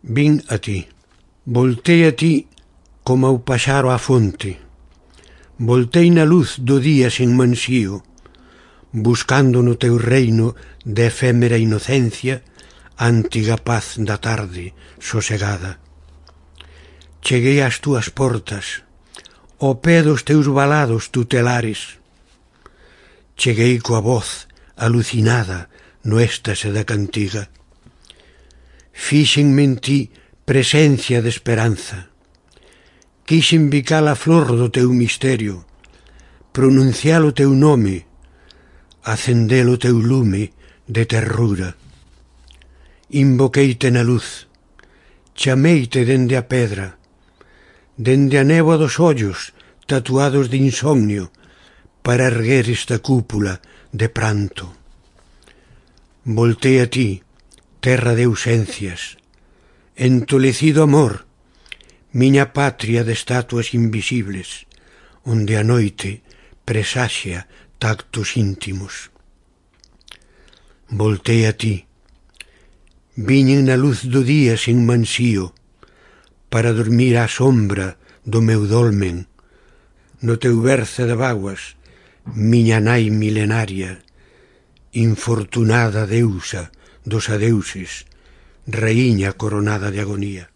Vin a ti. Voltei a ti como o paxaro á fonte. Voltei na luz do día sen mansío, buscando no teu reino de efémera inocencia a antiga paz da tarde sosegada. Cheguei ás túas portas, ao pé dos teus valados tutelares. Cheguei coa voz alucinada no éxtase da cantiga. Fíxenme en ti presencia de esperanza. Quixen bicar a flor do teu misterio, pronunciar o teu nome, acender o teu lume de terrura. Invoqueite na luz, chameite dende a pedra, dende a néboa dos ollos tatuados de insomnio, para erguer esta cúpula de pranto. Voltei a ti, terra de ausencias, entolecido amor, miña patria de estatuas invisibles, onde a noite presaxia tactos íntimos. Voltei a ti, viñen na luz do día sen mansío, para dormir á sombra do meu dolmen, no teu berce de vaguas, miña nai milenaria, infortunada deusa dos adeuses, raíña coronada de agonía.